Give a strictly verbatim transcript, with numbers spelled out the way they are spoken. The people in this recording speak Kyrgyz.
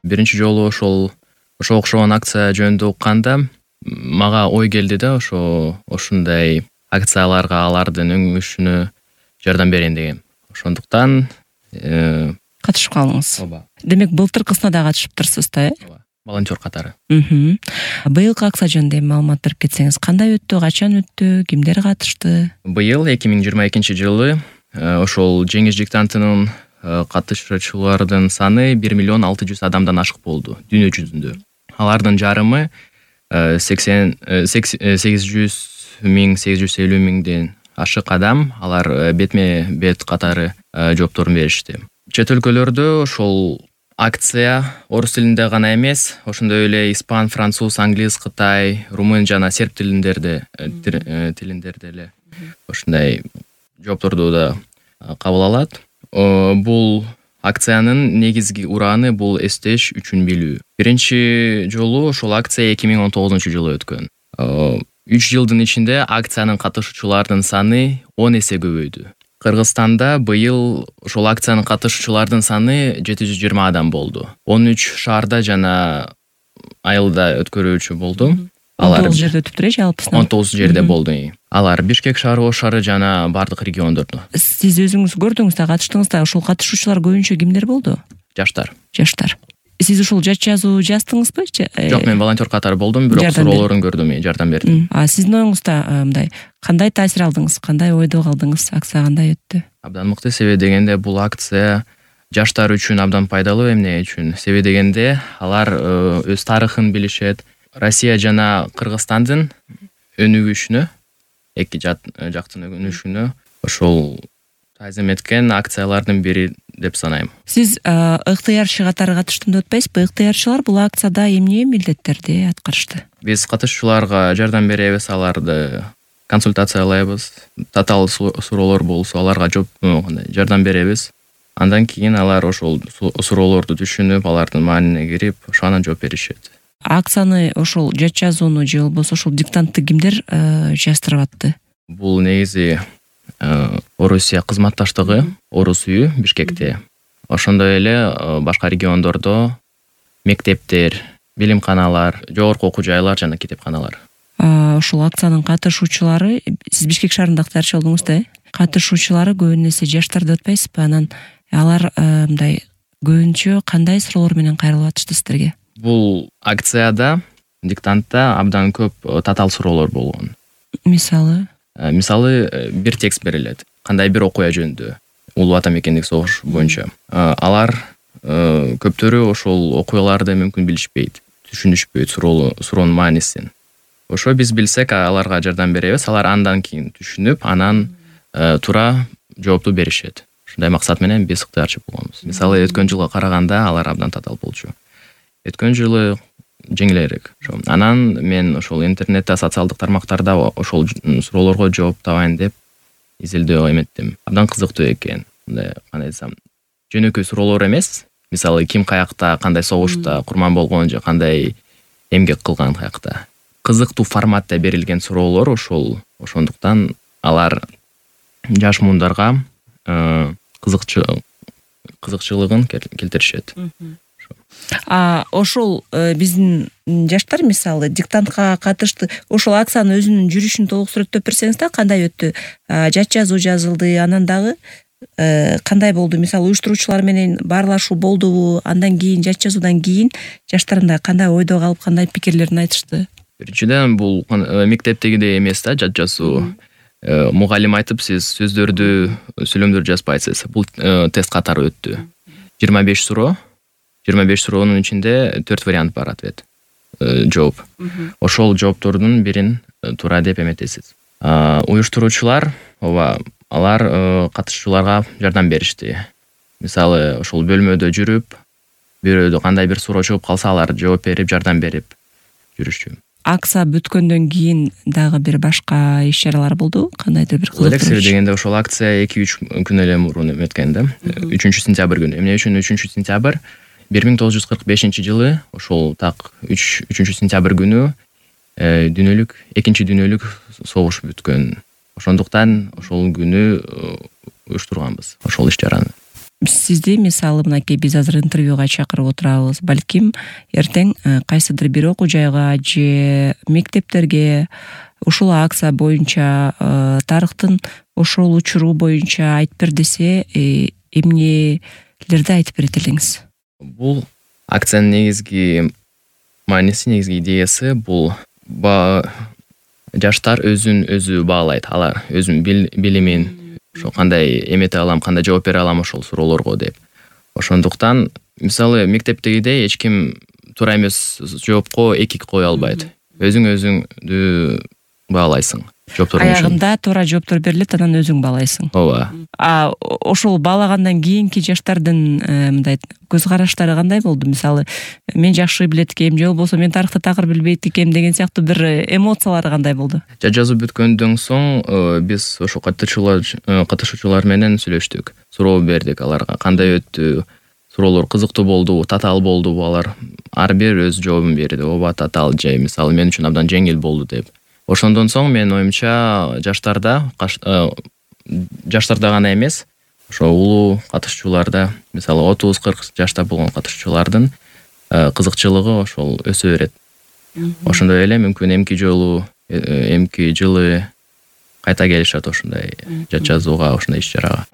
Биринчи жолу ошол ошого окшогон акция жөнүндө укканда мага ой келди да, ошо ушундай акцияларга алардын өңүшүнө жардам берейин деген. Ошондуктан катышып калдыңыз. Ооба. Демек былтыркысына да катышыптырсыз да, э? Ооба. Волонтер катары. Быйылкы акция жөнүндө маалымат берип кетсеңиз, кандай өттү, качан өттү, кимдер катышты? Быйыл эки миң жыйырма экинчи жылы ошол жеңиш диктантынын катышуучулардын саны бир миллион алты жүз адамдан ашык болду дүйнө жүзүндө. Алардын жарымы сексен сегиз жүз миң сегиз жүз элүү миңден ашык адам, алар бетме бет катары жоопторун беришти. Чет өлкөлөрдө ошол акция орус тилинде гана эмес, ошондой эле испан, француз, англис, кытай, румын жана серб тилиндерде тилиндерде эле ошондой жоопторду да кабыл алат. Бул акциянын негизги ураны бул эстеш үчүн билүү. Биринчи жолу ошол акция эки миң он тогузунчу жылы өткөн. үч жылдын ичинде акциянын катышуучулардын саны он эсе көбөйдү. Кыргызстанда быйыл ошол акциянын катышуучулардын саны жети жүз жыйырма адам болду. он үч шаарда жана айылда өткөрүүчү болду. Алар он тогуз жерде өтүптүр, жалпысынан. он тогуз жерде болду. Алар Бишкек шаары, Ош шаары жана бардык региондордо. Сиз өзүңүз көрдүңүз да, катыштыңыз да. Ошол катышуучулар көбүнчө кимдер болду? Жаштар. Жаштар. Сиз ушул жат жазуу жаздыңызбы? Жок, мен волонтер катары болдум, бирок суроолорун көрдүм, жардам бердим. А сиздин оюңузда мындай кандай таасир алдыңыз? Кандай ойдо калдыңыз? Акция кандай өттү? Абдан мыкты. Себеби дегенде бул акция жаштар үчүн абдан пайдалуу. Эмне үчүн? Себеби дегенде алар өз тарыхын билишет. Россия жана Кыргызстандын өнүгүшүнө, эки жактын өнүгүшүнө ошол таазим эткен акциялардын бири деп санайм. Сиз ыктыярчы катары катыштым деп атпайсызбы? Ыктыярчылар бул акцияда эмне милдеттерди аткарышты? Биз катышуучуларга жардам беребиз, аларды консультациялайбыз. Татаал суроолор болсо аларга жооп жардам беребиз. Андан кийин алар ошол суроолорду түшүнүп, алардын маанине кирип, ошо анан жооп беришет. Акцияны ошол жат жазууну же болбосо ошол диктантты кимдер жаздырып атты? Бул негизи Орусия кызматташтыгы, Орус үйү Бишкекте. Ошондой эле башка региондордо мектептер, билимканалар, жогорку окуу жайлар жана китепканалар. Ошол акциянын катышуучулары, сиз Бишкек шаарында ыктыярчы болдуңуз да, э? Катышуучулары көбүн эсе жаштар деп атпайсызбы? Анан алар мындай көбүнчө кандай суроолор менен кайрылып атышты сиздерге? Бул акцияда, диктантта абдан көп татаал суроолор болгон. Мисалы? Мисалы, бир текст берилет. Кандай бир окуя жөнүндө, Улуу Ата Мекендик согуш боюнча. Алар көптөрү ошол окуяларды мүмкүн билишпейт, түшүнүшпөйт суроонун маанисин. Ошо биз билсек, аларга жардам беребиз. Алар андан кийин түшүнүп, анан туура жоопту беришет. Ушундай максат менен биз ыктыярчы болгонбуз. Мисалы, өткөн жылга караганда алар абдан татаал болчу. Өткөн жылы жеңилирээк. Анан мен ошол интернетте, социалдык тармактарда ошол суроолорго жооп табайын деп изилдөө эметтим. Абдан кызыктуу экен. Мындай кандай десем, жөнөкөй суроолор эмес. Мисалы, ким каякта, кандай согушта курман болгон же кандай эмгек кылган каякта. Кызыктуу форматта берилген суроолор ошол. Ошондуктан алар жаш муундарга кызыкчылыгын келтиришет. А ошол биздин жаштар мисалы диктантка катышты. Ошол акциянын өзүнүн жүрүшүн толук сүрөттөп берсеңиз да, кандай өттү? Жат жазуу жазылды, анан дагы кандай болду? Мисалы уюштуруучулар менен баарлашуу болдубу? Андан кийин жат жазуудан кийин жаштарында кандай ойдо калып, кандай пикирлерин айтышты? Биринчиден бул мектептегидей эмес да, жат жазуу. Мугалим айтып, сиз сөздөрдү, сүйлөмдөрдү жазбайсыз. Бул тест катары өттү. жыйырма беш суроо. жыйырма беш суроонун ичинде төрт вариант бар, ответ, жооп. Ошол жооптордун бирин туура деп эметесиз. Уюштуруучулар, ооба, алар катышуучуларга жардам беришти. Мисалы, ошол бөлмөдө жүрүп, бирөөдө кандай бир суроо чыгып калса, алар жооп берип, жардам берип жүрүшчү. Акция бүткөндөн кийин дагы бир башка иш-чаралар болду? Кандайдыр бир кызыктуу иш? Дегенде ошол акция эки үч күн эле мурун өткөн да. үчүнчү сентябрь күнү. Эмне үчүн үчүнчү сентябрь? бир миң тогуз жүз кырк бешинчи жылы ошол так үчүнчү сентябрь күнү дүйнөлүк экинчи дүйнөлүк согуш бүткөн. Ошондуктан ошол күнү уюштурганбыз ошол иш-чараны. сизди мисалы мынакей биз азыр интервьюга чакырып отурабыз, балким эртең кайсыдыр бир окуу жайга же мектептерге ушул акция боюнча тарыхтын ошол учуру боюнча айтып бер десе, эмнелерди айтып берет элеңиз? Бул акциянын негизги мааниси, негизги идеясы бул жаштар өзүн өзү баалайт, алар өзүнүн билимин, ошо кандай эмете алам, кандай жооп бере алам ошол суроолорго деп. Ошондуктан мисалы мектептегидей эч ким туура эмес жоопко эки кое албайт. Өзүң өзүңдү баалайсың. Аягында туура жооптор берилет, анан өзүң баалайсың. Ооба. А ошол баалагандан кийинки жаштардын мындай көз караштары кандай болду? Мисалы, мен жакшы билет экем, же болбосо мен тарыхты такыр билбейт экем деген сыяктуу бир эмоциялары кандай болду? Жат жазуу бүткөндөн соң биз ошо катышуучулар катышуучулар менен сүйлөштүк. Суроо бердик аларга, кандай өттү? Суроолор кызыктуу болдубу, татаал болдубу? Алар ар бир өз жообун берди. Ооба, татаал, же мисалы мен үчүн абдан жеңил болду деп. Ошондон соң менин оюмча жаштарда жаштарда гана эмес, ошо улуу катышуучуларда, мисалы отуз кырк жашта болгон катышуучулардын кызыкчылыгы ошол өсө берет. Ошондой эле мүмкүн эмки жолу, эмки жылы кайта келишет ошондой жат жазууга, ошондой иш чарага.